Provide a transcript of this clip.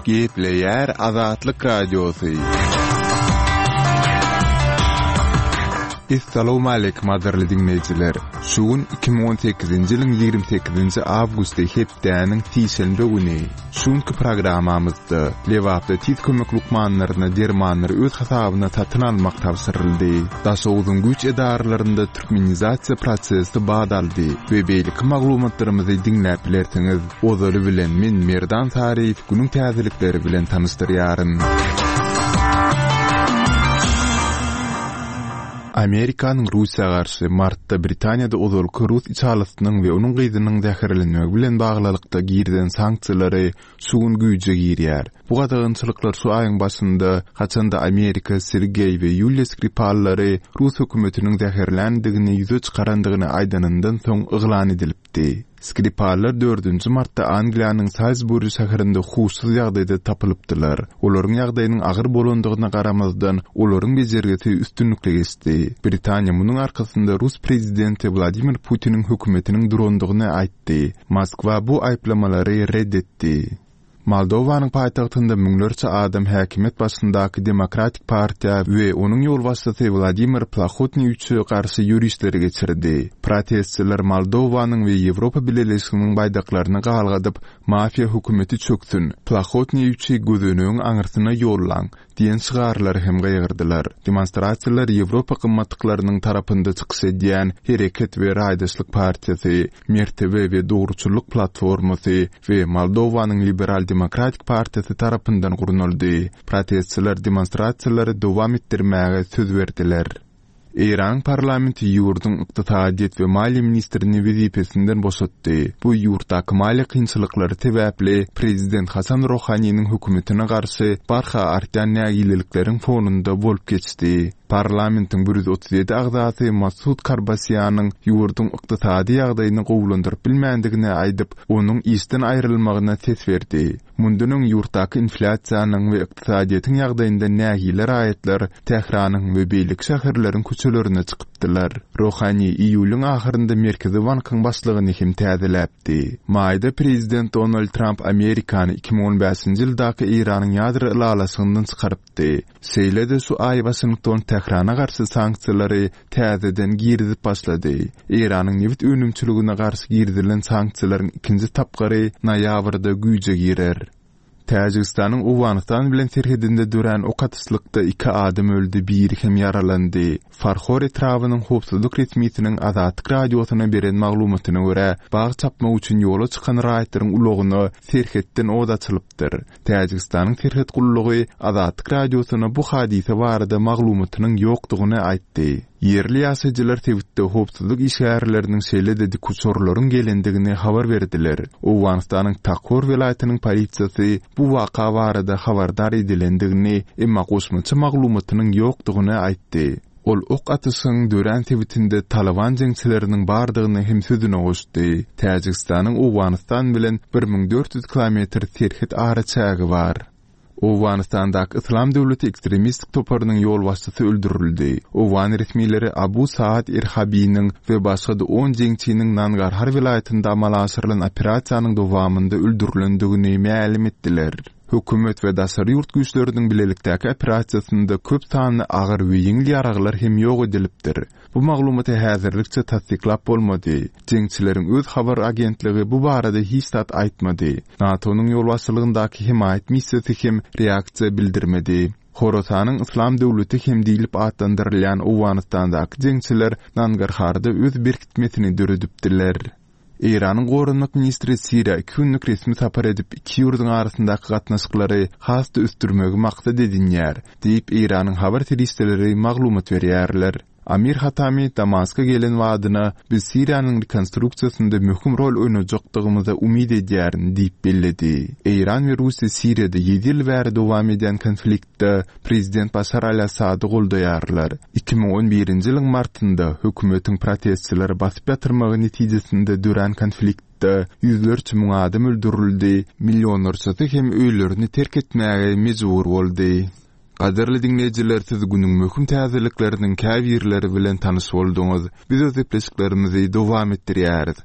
Gepleýär Azatlyk Radiosy. Essalawmaleýkim gadyrly diňleýjiler! Şu gün 2018-nji ýylyň 28-nji awgusty hepdäniň sişenbe güni. Şu günki programmamyzda Lebapda tiz kömek lukmanlaryna dermanlary öz hasabyna satyn almak tabşyryldy. Daşogzuň güýç edaralarynda türkmenizasiýa prosesi bat aldy we beýleki maglumatlarymyzy diňläp bilersiňiz. Ozaly bilen men Merdan Saryýew günüň täzelikleri bilen tanyşdyrýaryn. Amerikanyň Russiýa garşy martda Britaniýada ozalky rus içalysynyň we onuň gyzynyň zäherlenmegi bilen baglylykda girizen sanksiýalary şu gün güýje girýär. Bu gadagançylyklar şu aýyň başynda, haçan-da Amerika Sergeý we Ýuliýa Skripallary rus hökümetiniň zäherländigini ýüze çykarandygyny aýdanyndan soň yglan edilipdi. Skripallar dördünji martda Angliýanyň Salzburi şäherinde huşsuz ýagdaýda tapylypdylar. Olaryň ýagdaýynyň agyr bolandygyna garamazdan, olaryň bejergisi üstünlikli geçdi. Britaniýa munuň arkasynda rus prezidenti Wladimir Putiniň hökümetiniň durandygyny aýtdy. Moskwa bu aýyplamalary ret etdi. Moldowanyň paýtagtynda müňlerçe adam häkimiýet başyndaky Demokratik partiýa we onuň ýolbaşçysy Wladimir Plahotnýuçe garşy ýörişleri geçirdi. Protestçiler Moldowanyň we Ýewropa Bileleşiginiň baýdaklaryny galgadyp, Mafiýa hökümeti çöksün! Plahotnýuçi gözenegiň aňyrsyna ýollaň! Diýen şygarlary hem gygyrdylar. Demonstrasiýalar Ýewropa gymmatlyklarynyň tarapynda çykyş edýän Hereket we Raýdaşlyk partiýasy, Mertebe we dogruçyllyk platformasy we Moldowanyň Liberal-demokratik partiýasy tarapyndan gurnaldy. Protestçiler demonstrasiýalary dowam etdirmäge söz berdiler. Eýranyň parlamenti ýurduň ykdysadyýet we maliýe ministrini wezipesinden boşatdy. Bu ýurtdaky maliýe kynçylyklary sebäpli prezident Hasan Rohaniniň hökümetine garşy barha artýan nägilelikleriň fonunda bolup geçdi. Parlamentiň 137 agzasy Masud Karbasiýanyň ýurduň ykdysady ýagdaýyny gowulandyryp bilmändigini aýdyp, onuň işden aýrylmagyna ses berdi. Mundan öň ýurtdaky inflýasiýanyň we ykdysadyýetiň ýagdaýyndan nägile raýatlar Tähranyň we beýleki şäherleriň köçelerine çykypdylar. Rohani iýulyň ahyrynda Merkezi bankyň başlygyny hem täzeläpdi. Maýda prezident Donald Tramp Amerikany 2015-nji ýyldaky Eýranyň ýadro ylalaşygyndan çykarypdy. Şeýle-de şu aý Waşington Tährana garşy sanksiýalary täzeden girizip başlady. Eýranyň nebit önümçiligine garşy girizilen sanksiýalaryň ikinji tapgyry noýabrda güýje girer. Täjigistanyň Owganystan bilen serhedinde dörän ok atyşlykda iki adam öldi, biri hem ýaralandy. Farhor etrabynyň howpsuzlyk resmisiniň Azatlyk Radiosyna beren maglumatyna görä, bag çapmak üçin ýola çykan raýatlaryň ulagyna serhetden ot açylypdyr. Täjigistanyň serhet gullugy Azatlyk Radiosyna bu hadysa barada maglumatynyň ýokdugyny aýtdy. Ýerli ýaşaýjylar sebitde howpsuzlyk işgärleriniň şeýle-de dikuçarlaryň gelendigini habar berdiler. Owganystanyň Takhor welaýatynyň polisiýasy bu waka barada habardar edilendigini, emma goşmaça maglumatynyň ýokdugyny aýtdy. Ol ok atyşygyň dörän sebitinde Talyban jeňçileriniň bardygyny hem sözüne goşdy. Täjigistanyň Owganystan bilen 1400 kilometr serhet araçägi bar. Owganystandaky Yslam döwleti ekstremistik toparynyň ýolbaşçysy öldürildi. Owgan resmileri Abu Saad Erhabiniň we başga-da on jeňçiniň Nangarhar welaýatynda amala aşyrylan operasiýanyň dowamynda öldürilendigini mälim etdiler. Hökümet we daşary ýurt güýçleriniň bilelikdäki operasiýasynda köp sanly agyr we ýeňil ýaraglar hem ýok edilipdir. Bu maglumaty häzirlikçe tassyklap bolmady. Jeňçileriň öz habar agentligi bu barada hiç zat aýtmady. NATO-nyň ýolbaşçylygyndaky hemaýat missiýasy hem reaksiýa bildirmedi. Horasanyň Yslam döwleti hem diýlip atlandyrylýan Owganystandaky jeňçiler Nangarharda öz berkitmesini döredipdiler. Eýranyň goranmak ministri Siriýa iki günlük resmi sapar edip, iki ýurduň arasyndaky gatnaşyklary has-da ösdürmegi maksat edinýär, diýip, Eýranyň habar serişdeleri maglumat berýärler. Amir Hatami Damaska gelen badyna, Biz Siriýanyň rekonstruksiýasynda möhüm rol oýnajakdygymyza umyt edýärin diýip belledi. Eýran we Russiýa Siriýada ýedi ýyl bäri dowam edýän konfliktde prezident Başar al-Assady goldaýarlar. 2011-nji ýylyň martynda hökümetiň protestçileri basyp ýatyrmagy netijesinde dörän konfliktde ýüzlerçe müň adam öldürildi, millionlarçasy hem öýlerini terk etmäge mejbur boldy. Gadyrly diňleýjiler siz günüň möhüm täzelikleriniň käbirleri bilen tanyş bolduňyz. Biz öz gepleşiklerimizi dowam etdirýäris.